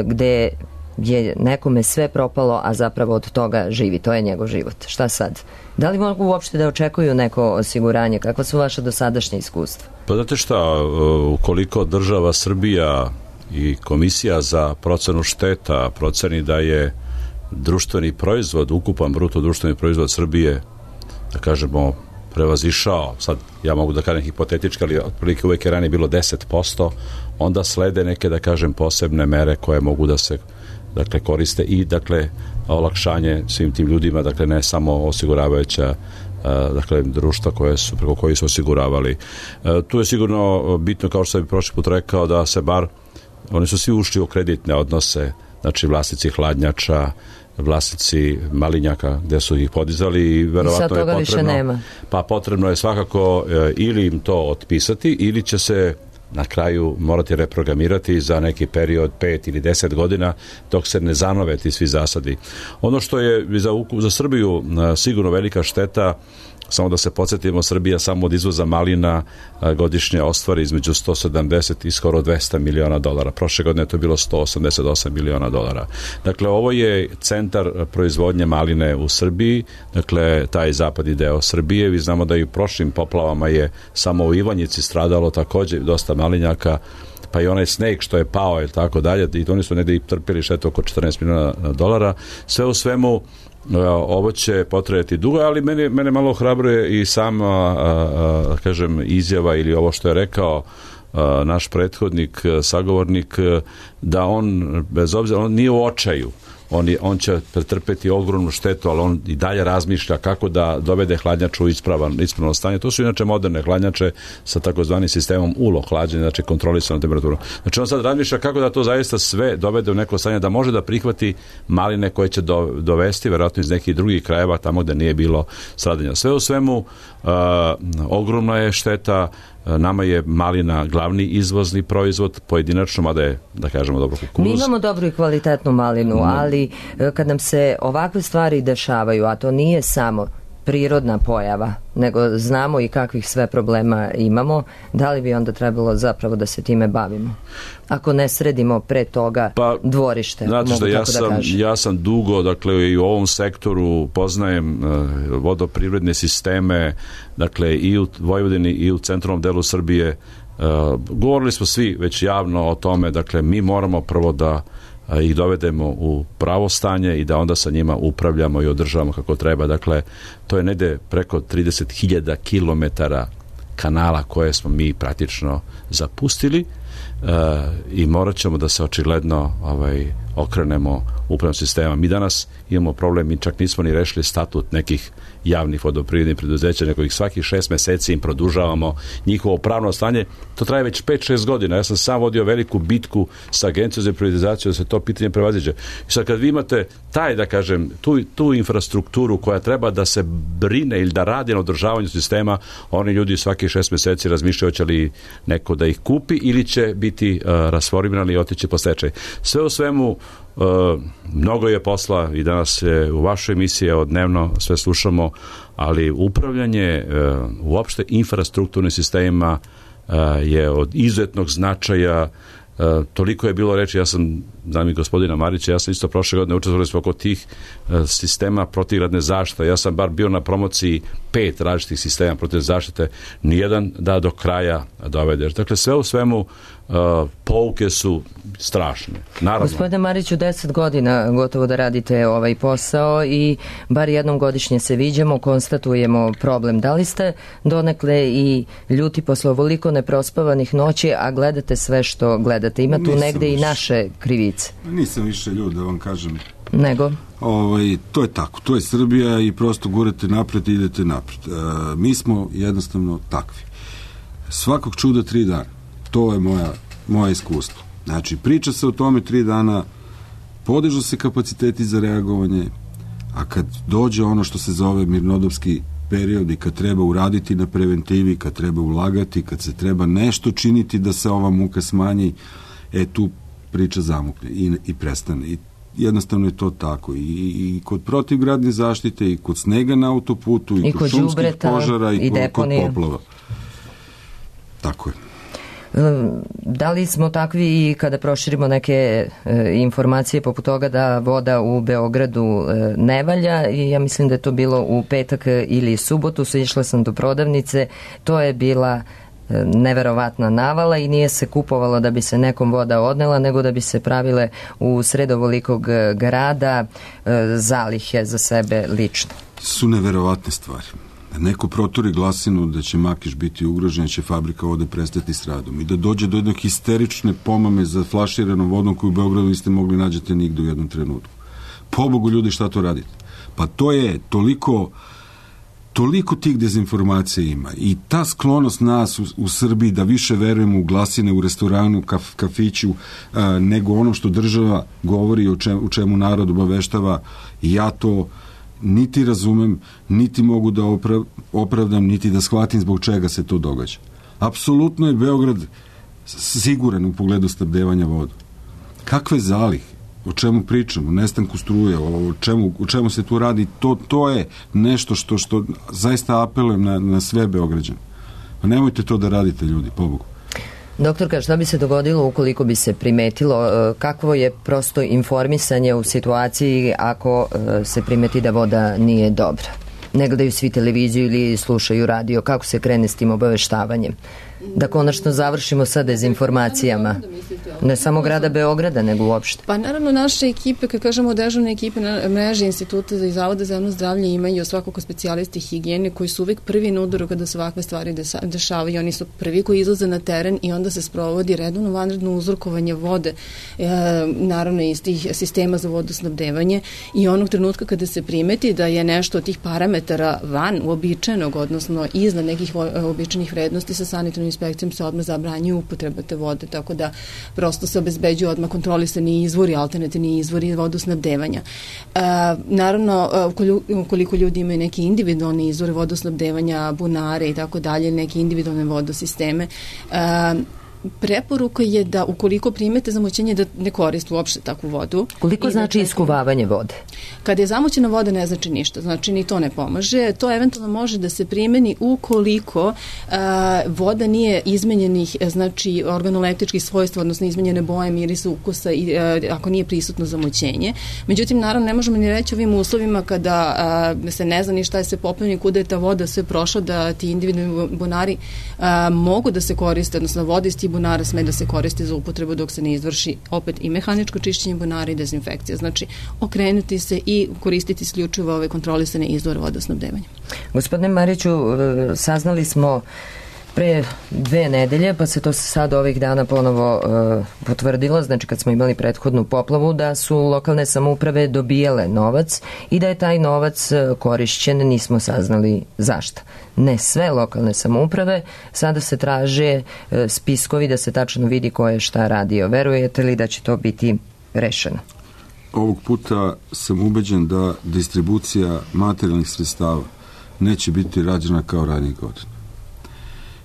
gde je nekome sve propalo, a zapravo od toga živi. To je njegov život. Šta sad? Da li mogu uopšte da očekuju neko osiguranje? Kako su vaše dosadašnje iskustva? Pa znate šta, ukoliko država Srbija i Komisija za procenu šteta proceni da je društveni proizvod, ukupan bruto društveni proizvod Srbije da kažemo, prevazišao, sad ja mogu da kažem hipotetički, ali otprilike uvek je ranije bilo 10%, onda slede neke, da kažem, posebne mere koje mogu da se, dakle, koriste i, dakle, olakšanje svim tim ljudima, dakle, ne samo osiguravajuća, dakle, društva preko koji su osiguravali. Tu je sigurno bitno, kao što sam prošli put rekao, da se bar, oni su svi ušli u kreditne odnose, znači vlasnici hladnjača, vlasnici malinjaka gde su ih podizali i verovatno je potrebno, pa potrebno je svakako ili im to otpisati ili će se na kraju morati reprogramirati za neki period 5 ili 10 godina dok se ne zanove ti svi zasadi. Ono što je za Srbiju sigurno velika šteta, samo da se podsjetimo, Srbija samo od izvoza malina godišnje ostvari između 170 i skoro 200 miliona dolara. Prošle godine to je bilo 188 miliona dolara. Dakle, ovo je centar proizvodnje maline u Srbiji, dakle, taj zapadni deo Srbije. Vi znamo da i u prošlim poplavama je samo u Ivanjici stradalo takođe dosta malinjaka, pa i onaj sneg što je pao i tako dalje, i oni su negde i trpili štetu oko 14 miliona dolara. Sve u svemu, ovo će potrebati dugo, ali mene malo ohrabruje i sama, kažem, izjava ili ovo što je rekao naš prethodnik, sagovornik, da on, bez obzira, on nije u očaju. On će pretrpeti ogromnu štetu, ali on i dalje razmišlja kako da dovede hladnjaču u ispravno stanje. To su inače moderne hladnjače sa takozvanim sistemom ULO hlađenja, znači kontrolisanu temperaturu. Znači on sad razmišlja kako da to zaista sve dovede u neko stanje da može da prihvati maline koje će dovesti verovatno iz nekih drugih krajeva tamo gde nije bilo stradanja. Sve u svemu ogromna je šteta. Nama je malina glavni izvozni proizvod, pojedinačno, mada je, da kažemo, dobro kukuruz. Mi imamo dobru i kvalitetnu malinu, ali kad nam se ovakve stvari dešavaju, a to nije samo prirodna pojava, nego znamo i kakvih sve problema imamo, da li bi onda trebalo zapravo da se time bavimo? Ako ne sredimo pre toga dvorište, znate mogu tako da kažem. Ja sam dugo, dakle, i u ovom sektoru poznajem vodoprivredne sisteme, dakle, i u Vojvodini i u centralnom delu Srbije. Govorili smo svi već javno o tome, dakle, mi moramo prvo da ih dovedemo u pravo stanje i da onda sa njima upravljamo i održavamo kako treba. Dakle, to je negde preko 30.000 kilometara kanala koje smo mi praktično zapustili i morat ćemo da se očigledno okrenemo upravnom sistema. Mi danas imamo problem, mi čak nismo ni rešili statut nekih javnih vodoprivrednih preduzeća, nego ih svakih 6 meseci im produžavamo njihovo pravno stanje. To traje već 5-6 godina. Ja sam sam vodio veliku bitku sa Agencijom za privatizaciju da se to pitanje prevaziđe. I sad kad vi imate taj, da kažem, tu infrastrukturu koja treba da se brine ili da radi na održavanju sistema, oni ljudi svakih 6 meseci razmišljaju hoće li neko da ih kupi ili će biti rasformirani i otići po stečaj. Sve u svemu, mnogo je posla i danas je u vašoj emisiji dnevno sve slušamo, ali upravljanje uopšte infrastrukturnim sistemima je od izuzetnog značaja. Toliko je bilo reči, ja sam, znam i gospodina Marića, ja sam isto prošle godine učestvovali smo oko tih sistema protivgradne zaštite. Ja sam bar bio na promociji 5 različitih sistema protivgradne zaštite, nijedan da do kraja dovedeš. Dakle, sve u svemu pouke su strašne. Naravno. Gospodine Mariću, 10 godina gotovo da radite ovaj posao i bar jednom godišnje se viđamo, konstatujemo problem. Da li ste donekle i ljuti posle ovoliko neprospavanih noći, a gledate sve što gledate? Ima tu negde i naše krivice. Nisam više ljud, da vam kažem. Nego? To je tako, to je Srbija i prosto gurate napred i idete napred. Mi smo jednostavno takvi. Svakog čuda 3 dana. To je moje iskustvo. Znači, priča se o tome 3 dana, podižu se kapaciteti za reagovanje, a kad dođe ono što se zove mirnodopski period i kad treba uraditi na preventivi, kad treba ulagati, kad se treba nešto činiti da se ova muka smanji, tu priča zamukne i prestane. I jednostavno je to tako. I kod protivgradne zaštite, i kod snega na autoputu, i kod šumskih požara, i kod poplava. Tako je. Da li smo takvi i kada proširimo neke informacije poput toga da voda u Beogradu ne valja, i ja mislim da je to bilo u petak ili subotu, išla sam do prodavnice, to je bila neverovatna navala i nije se kupovalo da bi se nekom voda odnela, nego da bi se pravile u sred ovolikog grada zalihe za sebe lično. Su neverovatne stvari. da neko proturi glasinu da će Makiš biti ugrožen, će fabrika vode prestati s radom i da dođe do jednog histerične pomame za flaširanom vodom koju u Beogradu niste mogli nađete nigde u jednom trenutku. Pobogu ljudi, šta to radite? Pa to je toliko tih dezinformacija ima i ta sklonost nas u Srbiji da više verujemo u glasine u restoranu, kafiću, nego ono što država govori u čemu narod obaveštava, ja to niti razumem, niti mogu da opravdam, niti da shvatim zbog čega se to događa. Apsolutno je Beograd siguran u pogledu snabdevanja voda. Kakve zalihe? O čemu pričamo? Nestanku struje, o čemu se tu radi? To je nešto što zaista apelujem na sve Beograđane. Pa nemojte to da radite, ljudi, pobogu. Doktorka, šta bi se dogodilo ukoliko bi se primetilo, kakvo je prosto informisanje u situaciji ako se primeti da voda nije dobra? Ne gledaju svi televiziju ili slušaju radio, kako se krene s tim obaveštavanjem? Da konačno završimo sa dezinformacijama. Ne samo grada Beograda, nego uopšte. Pa naravno naše ekipe, kad kažemo dežurne ekipe na mreži Instituta i Zavoda za javno zdravlje imaju svakako specijalisti higijene koji su uvek prvi na udaru kada se ovakve stvari dešavaju. Oni su prvi koji izlaze na teren i onda se sprovodi redovno vanredno uzorkovanje vode, naravno iz tih sistema za vodosnabdevanje i onog trenutka kada se primeti da je nešto od tih parametara van uobičajenog, odnosno iznad nekih uobičajenih vrednosti, sa sanitarnom inspekcijom se odmah zabranjuje upotreba te vode, tako da prosto se obezbeđuje odmah kontrolisani izvori, alternativni izvori vodosnabdevanja. Naravno, ukoliko ljudi imaju neke individualne izvore vodosnabdevanja, bunare i tako dalje, neke individualne vodosisteme, preporuka je da ukoliko primete zamućenje da ne koriste uopšte takvu vodu. Koliko znači iskuvavanje vode? Kada je zamućena voda ne znači ništa, znači ni to ne pomaže. To eventualno može da se primeni ukoliko voda nije izmenjenih, znači organoleptičkih svojstva, odnosno izmenjene boje, mirisa, ukusa i ako nije prisutno zamućenje. Međutim, naravno, ne možemo ni reći ovim uslovima kada se ne zna ni šta je sve poplavljeno, kuda je ta voda sve prošla, da ti individualni bunari mogu da se koriste, odnosno voda iz tih bunara sme da se koristi za upotrebu dok se ne izvrši opet i mehaničko čišćenje bunara i dezinfekcija. Znači, okrenuti se i koristiti isključivo ove kontrolisane izvore vodosnabdevanja. Gospodine Mariću, saznali smo pre 2 nedelje, pa se to sad ovih dana ponovo potvrdilo, znači kad smo imali prethodnu poplavu, da su lokalne samouprave dobijale novac i da je taj novac korišćen, nismo saznali zašto. Ne sve lokalne samouprave, sada se traže spiskovi da se tačno vidi ko je šta radio. Verujete li da će to biti rešeno? Ovog puta sam ubeđen da distribucija materijalnih sredstava neće biti rađena kao ranije godine.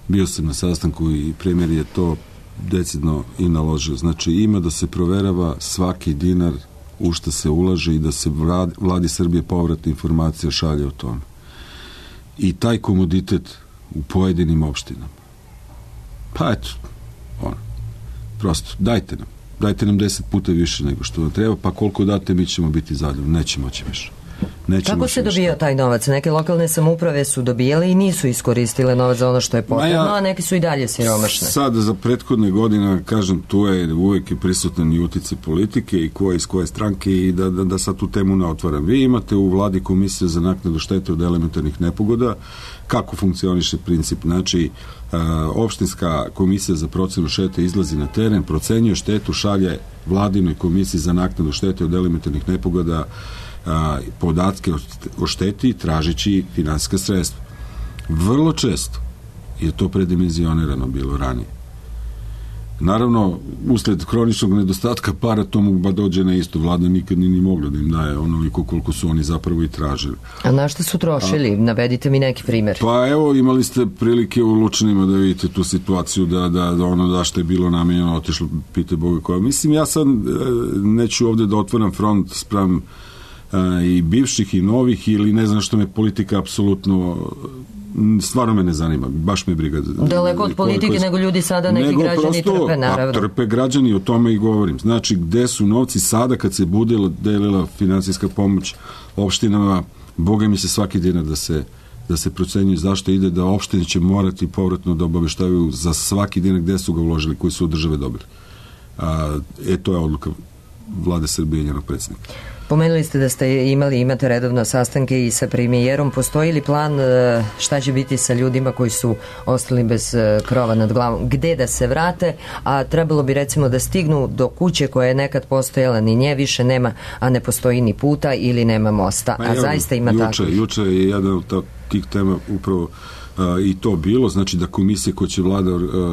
Bio sam na sastanku i premijer je to decidno i naložio. Znači, ima da se proverava svaki dinar u što se ulaže i da se vladi Srbije povratna informacija šalje o tome. I taj komoditet u pojedinim opštinama. Pa eto, prosto, dajte nam 10 puta više nego što nam treba, pa koliko date mi ćemo biti zadovoljni, neće moći više. Kako se dobija taj novac? Neke lokalne samouprave su dobijale i nisu iskoristile novac za ono što je potrebno, a neki su i dalje siromašne. Sada za prethodne godine, kažem, tu je uvek prisutan i uticaj politike i ko je iz koje stranke i da sad tu temu ne otvaram. Vi imate u vladi komisiju za naknadu štete od elementarnih nepogoda. Kako funkcioniše princip? Znači, opštinska komisija za procenu štete izlazi na teren, procenjuje štetu, šalje vladinoj komisiji za naknadu štete od elementarnih nepogoda podatke o šteti tražeći finansijska sredstva. Vrlo često je to predimenzionirano bilo ranije. Naravno, usled hroničnog nedostatka para to mu dođe na isto. Vlada nikad ni mogla da im daje onoliko koliko su oni zapravo i tražili. A na što su trošili? Navedite mi neki primjer. Pa evo, imali ste prilike u Lučanima da vidite tu situaciju da ono da što je bilo namenjeno otišlo, pite Boga koja. Mislim, ja sad neću ovde da otvaram front spram i bivših i novih ili ne znam što me politika apsolutno stvarno me ne zanima, baš me briga. Daleko od politike nego ljudi sada neki građani trpe, naravno. Trpe građani, o tome i govorim. Znači, gde su novci sada kad se bude delila finansijska pomoć opštinama, Boga mi se svaki dinar da se procenjuje zašto ide, da opštine će morati povratno da obaveštavaju za svaki dinar gde su ga uložili, koji su od države dobili. To je odluka Vlade Srbije i njenog predsjednika. Pomenuli ste da ste imate redovno sastanke i sa premijerom. Postoji li plan šta će biti sa ljudima koji su ostali bez krova nad glavom? Gde da se vrate? A trebalo bi recimo da stignu do kuće koja je nekad postojala, ni nje više nema, a ne postoji ni puta ili nema mosta. A zaista ima tako. Juče je jedan od tih tema upravo i to bilo, znači da komisije koje će vlada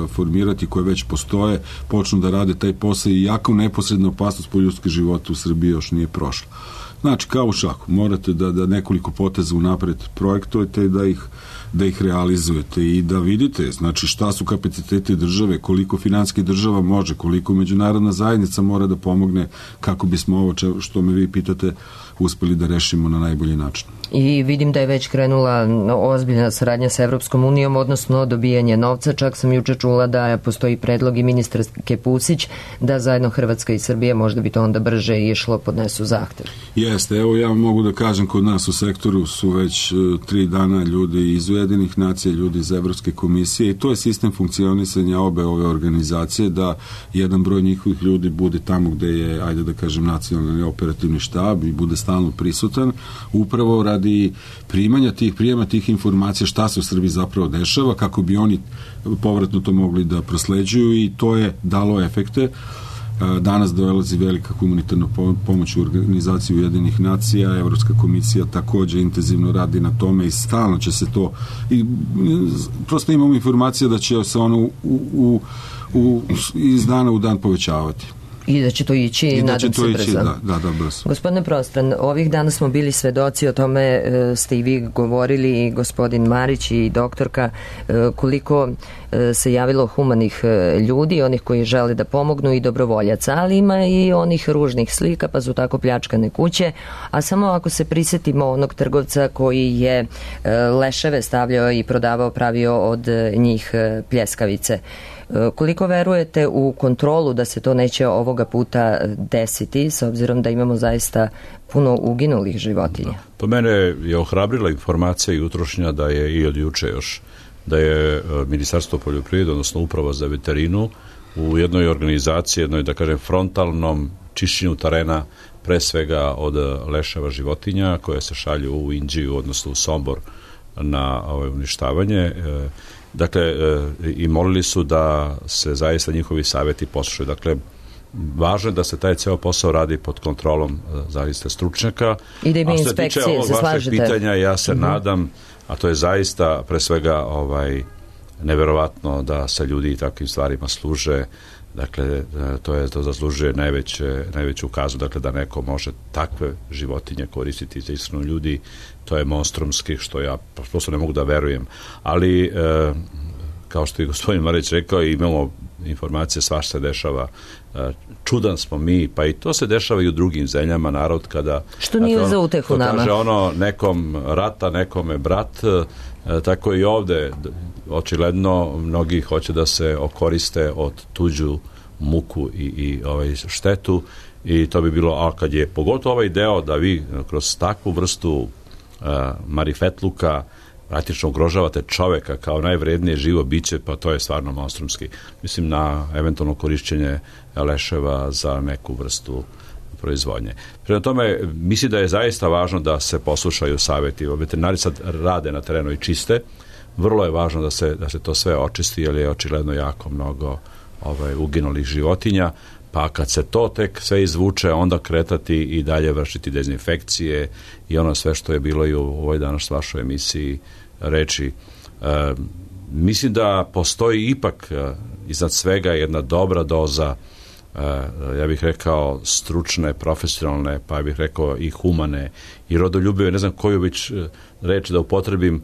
formirati, koje već postoje, počnu da rade taj posao, i jako neposredna opasnost po ljudske živote u Srbiji još nije prošla. Znači, kao u šahu, morate da nekoliko poteza unapred projektujete i da ih realizujete i da vidite, znači, šta su kapaciteti države, koliko finansijski država može, koliko međunarodna zajednica mora da pomogne kako bismo ovo što me vi pitate uspeli da rešimo na najbolji način. I vidim da je već krenula ozbiljna saradnja sa Evropskom unijom, odnosno dobijanje novca. Čak sam juče čula da postoji predlog i ministarke Pusić da zajedno Hrvatska i Srbija, možda bi to onda brže išlo, podnesu zahtev. Jeste, evo ja mogu da kažem, kod nas u sektoru su već 3 dana ljudi iz Ujedinjenih nacija, ljudi iz Evropske komisije, i to je sistem funkcionisanja obe ove organizacije, da jedan broj njihovih ljudi bude tamo gde je, ajde da kažem, nacionalni operativni štab i bude stalno prisutan, upravo radi prijema tih informacija šta se u Srbiji zapravo dešava, kako bi oni povratno to mogli da prosleđuju, i to je dalo efekte. Danas dolazi velika humanitarna pomoć u organizaciji Ujedinjenih nacija, Evropska komisija takođe intenzivno radi na tome i stalno će se to, i prosto imamo informacije da će se ono iz dana u dan povećavati. I da će to ići, nadam se, brzo. Da, brzo. Gospodine Prostran, ovih dana smo bili svedoci, o tome ste i vi govorili, i gospodin Marić i doktorka, koliko se javilo humanih ljudi, onih koji žele da pomognu i dobrovoljaca, ali ima i onih ružnih slika, pa su tako pljačkane kuće, a samo ako se prisetimo onog trgovca koji je leševe stavljao i prodavao, pravio od njih pljeskavice. Koliko verujete u kontrolu da se to neće ovoga puta desiti, s obzirom da imamo zaista puno uginulih životinja? Po mene je ohrabrila informacija i utrošnja da je, i od juče još, da je Ministarstvo poljoprivrede, odnosno Uprava za veterinu, u jednoj organizaciji, jednoj, da kažem, frontalnom čišćenju terena, pre svega od leševa životinja koje se šalju u Inđiju, odnosno u Sombor, na uništavanje. Dakle, i molili su da se zaista njihovi savjeti poslušaju. Dakle, važno je da se taj ceo posao radi pod kontrolom zaista stručnjaka. I da ima inspekcije, se slažete? A što se tiče ovog vašeg pitanja, ja se nadam, a to je zaista pre svega neverovatno da se ljudi i takvim stvarima služe. Dakle, to zaslužuje najveću kazu, dakle, da neko može takve životinje koristiti za ishranu ljudi. To je monstrumski, što ja prosto ne mogu da verujem. Ali, kao što je gospodin Marić rekao, imamo informacije, svašta se dešava. Čudan smo mi, pa i to se dešava i u drugim zemljama, narod kada... Što nije za utehu nama. Kaže nekom rata, nekome brat, tako i ovde, očigledno, mnogi hoće da se okoriste od tuđu muku i štetu, i to bi bilo, a kad je pogotovo ovaj deo da vi kroz takvu vrstu marifetluka praktično ugrožavate čoveka kao najvrednije živo biće, pa to je stvarno monstrumski. Mislim na eventualno korišćenje leševa za neku vrstu proizvodnje. Prema tome, mislim da je zaista važno da se poslušaju savjeti. Veterinari sad rade na terenu i čiste. Vrlo je važno da se to sve očisti, jer je očigledno jako mnogo uginulih životinja, pa kad se to tek sve izvuče, onda kretati i dalje vršiti dezinfekcije i ono sve što je bilo i u ovoj danas vašoj emisiji reči. Mislim da postoji ipak iznad svega jedna dobra doza, ja bih rekao, stručne, profesionalne, pa bih rekao i humane i rodoljubive, ne znam koju već reč da upotrebim,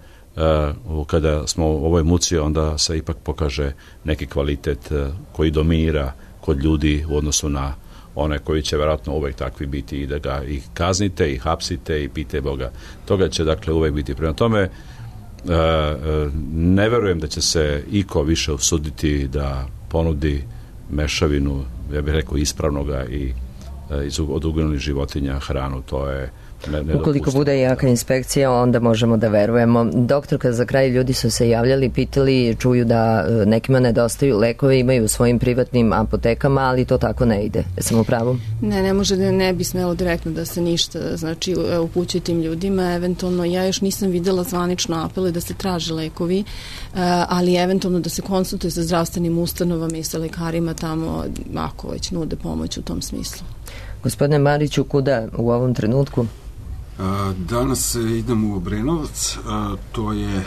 kada smo u ovoj muci, onda se ipak pokaže neki kvalitet koji dominira kod ljudi u odnosu na one koji će vjerojatno uvek takvi biti, i da ga ih kaznite i hapsite i pite Boga. Toga će dakle uvek biti. Prema tome, ne verujem da će se iko više usuditi da ponudi mešavinu, ja bih rekao, ispravnoga i od uginulih životinja hranu. To je Ukoliko bude jaka inspekcija, onda možemo da verujemo. Doktorka, za kraj ljudi su se javljali, pitali, čuju da nekima nedostaju lekovi, imaju u svojim privatnim apotekama, ali to tako ne ide. Jesam u pravu? Ne može da ne bi smelo direktno da se ništa, znači, upućuje tim ljudima. Eventualno, ja još nisam videla zvanično apele da se traže lekovi, ali eventualno da se konsultuje sa zdravstvenim ustanovama i sa lekarima tamo, ako već nude pomoć u tom smislu. Gospodine Mariću, kuda u ovom trenutku? Danas idem u Obrenovac, to je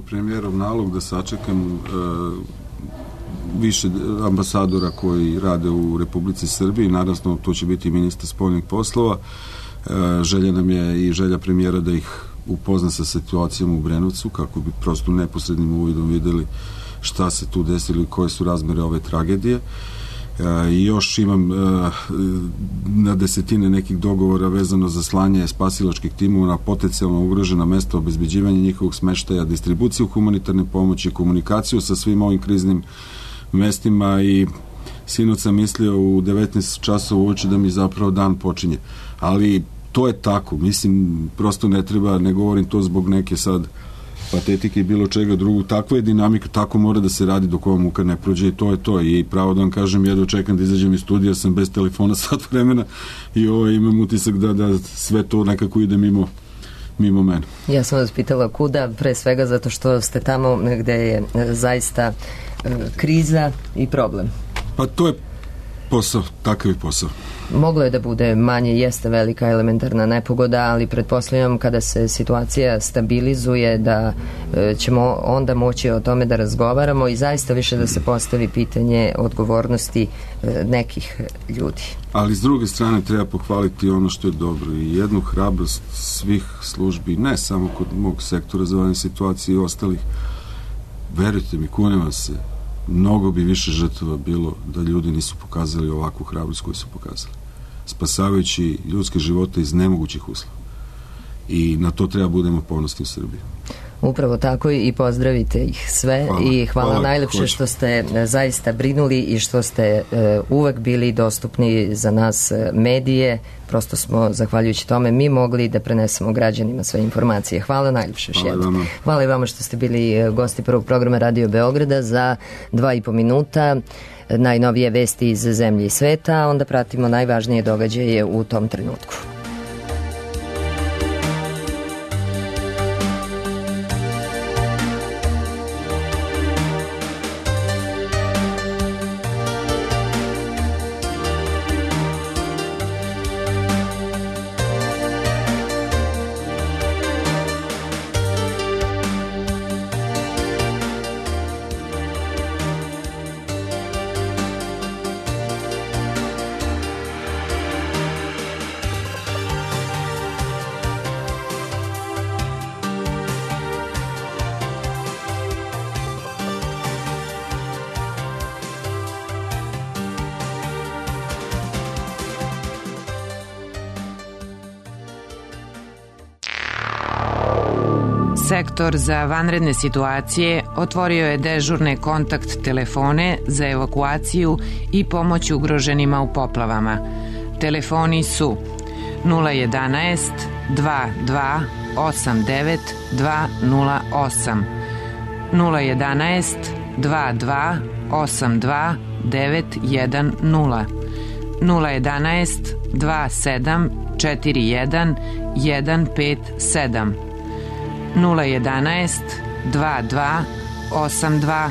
premijerov nalog da sačekam više ambasadora koji rade u Republici Srbiji, naravno to će biti ministar spoljnih poslova. Želja nam je i želja premijera da ih upozna sa situacijom u Obrenovcu, kako bi prosto neposrednim uvidom videli šta se tu desilo i koje su razmere ove tragedije. I još imam na desetine nekih dogovora vezano za slanje spasilačkih timova na potencijalno ugrožena mesta, obezbeđivanje njihovog smeštaja, distribuciju humanitarne pomoći, komunikaciju sa svim ovim kriznim mestima i sinoć sam mislio u 19 časova uoči da mi zapravo dan počinje. Ali to je tako, mislim, prosto ne treba, ne govorim to zbog neke sad patetike i bilo čega drugog, takva je dinamika, tako mora da se radi dok ova muka ne prođe i to je to. I pravo da vam kažem, jedno čekam da izađem iz studija, sam bez telefona sat vremena i imam utisak da sve to nekako ide mimo mene. Ja sam vas pitala kuda, pre svega zato što ste tamo gde je zaista kriza i problem. Pa to je posao, takav je posao. Moglo je da bude manje, jeste velika elementarna nepogoda, ali pretpostavljam kada se situacija stabilizuje da ćemo onda moći o tome da razgovaramo i zaista više da se postavi pitanje odgovornosti nekih ljudi. Ali s druge strane treba pohvaliti ono što je dobro i jednu hrabrost svih službi, ne samo kod mog sektora za vanredne situacije i ostalih. Verujte mi, kunem vam se, mnogo bi više žrtava bilo da ljudi nisu pokazali ovakvu hrabrost koju su pokazali, spasavajući ljudske živote iz nemogućih uslova. I na to treba budemo ponosni u Srbiji. Upravo tako i pozdravite ih sve. Hvala najlepše što ste zaista brinuli i što ste uvek bili dostupni za nas medije. Prosto smo, zahvaljujući tome, mi mogli da prenesemo građanima sve informacije. Hvala najlepše još jednom. Hvala i vama što ste bili gosti prvog programa Radio Beograda. Za 2,5 minuta najnovije vesti iz zemlje i sveta, onda pratimo najvažnije događaje u tom trenutku. Sektor za vanredne situacije otvorio je dežurne kontakt telefone za evakuaciju i pomoć ugroženima u poplavama. Telefoni su 011 22 89 208, 011 22 82 910, 011 27 41 157, 011 22 82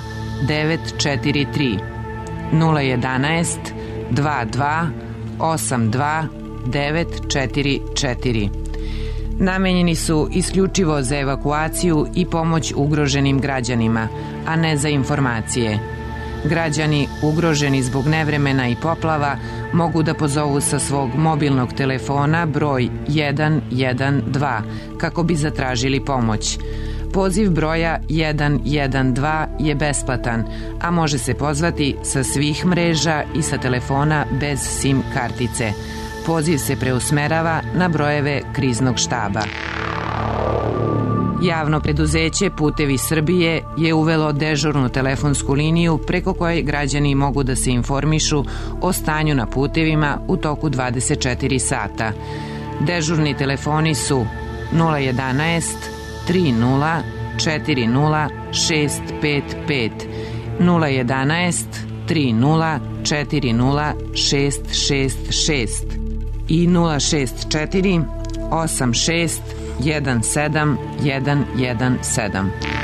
943, 011 22 82 944. Namenjeni su isključivo za evakuaciju i pomoć ugroženim građanima, a ne za informacije. Građani ugroženi zbog nevremena i poplava mogu da pozovu sa svog mobilnog telefona broj 112 kako bi zatražili pomoć. Poziv broja 112 je besplatan, a može se pozvati sa svih mreža i sa telefona bez SIM kartice. Poziv se preusmerava na brojeve kriznog štaba. Javno preduzeće Putevi Srbije je uvelo dežurnu telefonsku liniju preko koje građani mogu da se informišu o stanju na putevima u toku 24 sata. Dežurni telefoni su 011 30 40 655, 011 30 40 666 i 064 86 17 117.